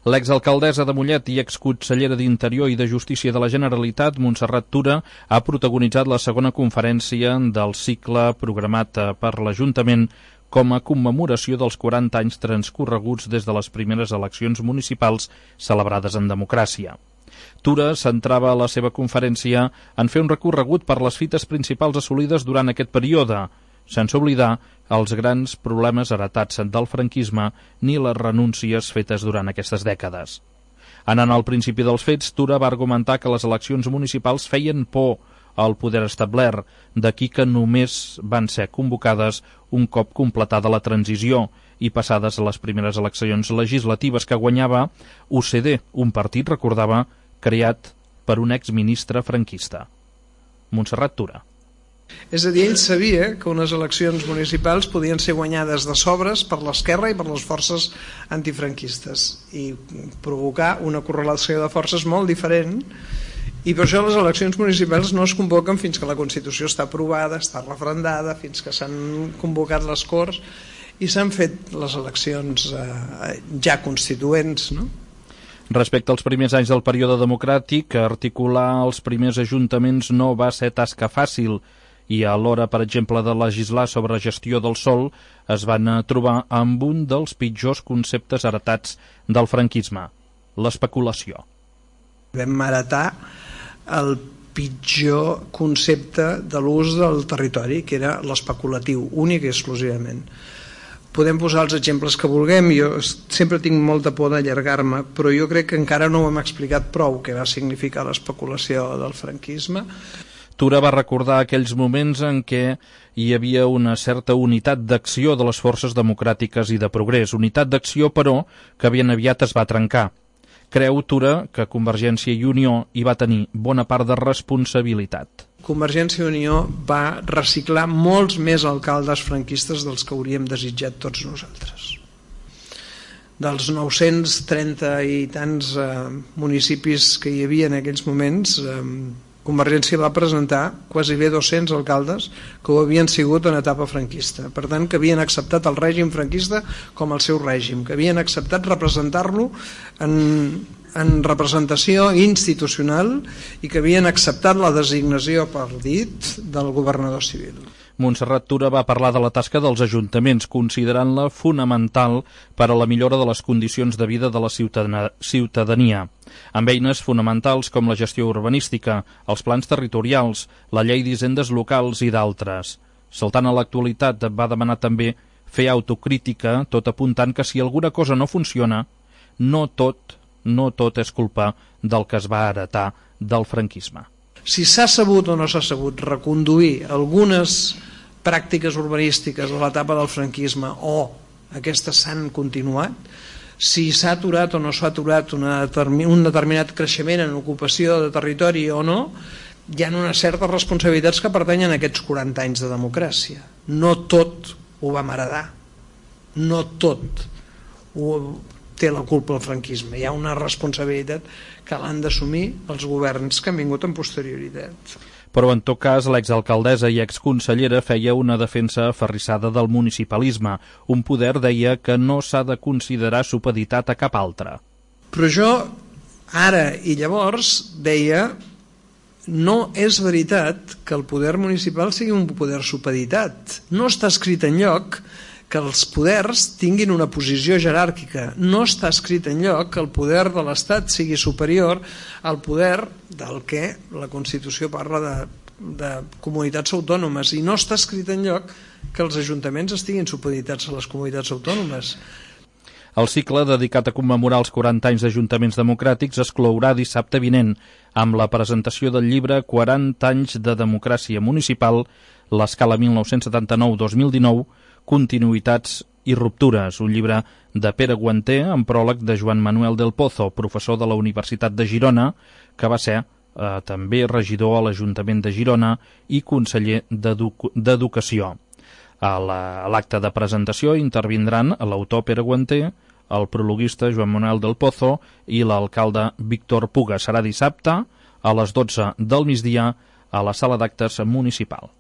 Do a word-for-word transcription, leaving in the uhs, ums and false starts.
L'exalcaldessa de Mollet i exconsellera d'Interior i de Justícia de la Generalitat, Montserrat Tura, ha protagonitzat la segona conferència del cicle programat per l'Ajuntament com a commemoració dels quaranta anys transcorreguts des de les primeres eleccions municipals celebrades en democràcia. Tura centrava la seva conferència en fer un recorregut per les fites principals assolides durant aquest període, sense oblidar els grans problemes heretats del franquisme ni les renúncies fetes durant aquestes dècades. Anant al principi dels fets, Tura va argumentar que les eleccions municipals feien por al poder establert, d'aquí que només van ser convocades un cop completada la transició i passades les primeres eleccions legislatives que guanyava U C D, un partit, recordava, creat per un exministre franquista. Montserrat Tura. És a dir, ell sabia que unes eleccions municipals podien ser guanyades de sobres per l'esquerra i per les forces antifranquistes i provocar una correlació de forces molt diferent, i per això les eleccions municipals no es convoquen fins que la Constitució està aprovada, està referendada, fins que s'han convocat les Corts i s'han fet les eleccions eh, ja constituents, no? Respecte als primers anys del període democràtic, articular els primers ajuntaments no va ser tasca fàcil i a l'hora, per exemple, de legislar sobre gestió del sòl, es van trobar amb un dels pitjors conceptes heretats del franquisme, l'especulació. Vam heretar el pitjor concepte de l'ús del territori, que era l'especulatiu, únic i exclusivament. Podem posar els exemples que vulguem, jo sempre tinc molta por d'allargar-me, però jo crec que encara no ho hem explicat prou què va significar l'especulació del franquisme. Tura va recordar aquells moments en què hi havia una certa unitat d'acció de les forces democràtiques i de progrés, unitat d'acció, però, que ben aviat es va trencar. Creu Tura que Convergència i Unió hi va tenir bona part de responsabilitat. Convergència i Unió va reciclar molts més alcaldes franquistes dels que hauríem desitjat tots nosaltres. Dels nou-cents trenta i tants eh, municipis que hi havia en aquells moments, eh, Convergència va presentar quasi bé dos-cents alcaldes que ho havien sigut en etapa franquista. Per tant, que havien acceptat el règim franquista com el seu règim, que havien acceptat representar-lo en, en representació institucional i que havien acceptat la designació per dit del governador civil. Montserrat Tura va parlar de la tasca dels ajuntaments, considerant-la fonamental per a la millora de les condicions de vida de la ciutadania, amb eines fonamentals com la gestió urbanística, els plans territorials, la llei d'hisendes locals i d'altres. Saltant a l'actualitat, va demanar també fer autocrítica, tot apuntant que si alguna cosa no funciona, no tot, no tot és culpa del que es va heretar del franquisme. Si s'ha sabut o no s'ha sabut reconduir algunes pràctiques urbanístiques de l'etapa del franquisme o aquestes s'han continuat, si s'ha aturat o no s'ha aturat una determin, un determinat creixement en ocupació de territori o no, hi ha unes certes responsabilitats que pertanyen a aquests quaranta anys de democràcia. No tot ho vam heredar, no tot ho té la culpa el franquisme, hi ha una responsabilitat que l'han d'assumir els governs que han vingut en posterioritat. Però en tot cas l'exalcaldessa i exconsellera feia una defensa aferrissada del municipalisme, un poder, deia, que no s'ha de considerar supeditat a cap altre. Però jo ara i llavors deia no és veritat que el poder municipal sigui un poder supeditat, no està escrit enlloc que els poders tinguin una posició jeràrquica. No està escrit enlloc que el poder de l'Estat sigui superior al poder del que la Constitució parla de, de comunitats autònomes, i no està escrit enlloc que els ajuntaments estiguin supeditats a les comunitats autònomes. El cicle dedicat a commemorar els quaranta anys d'ajuntaments democràtics es clourà dissabte vinent amb la presentació del llibre quaranta anys de democràcia municipal, l'escala mil nou-cents setanta-nou dos mil dinou, Continuïtats i ruptures, un llibre de Pere Guanter amb pròleg de Joan Manuel del Pozo, professor de la Universitat de Girona, que va ser eh, també regidor a l'Ajuntament de Girona i conseller d'Educació. A l'acte de presentació intervindran l'autor Pere Guanter, el prologuista Joan Manuel del Pozo i l'alcalde Víctor Puga. Serà dissabte a les dotze del migdia a la sala d'actes municipal.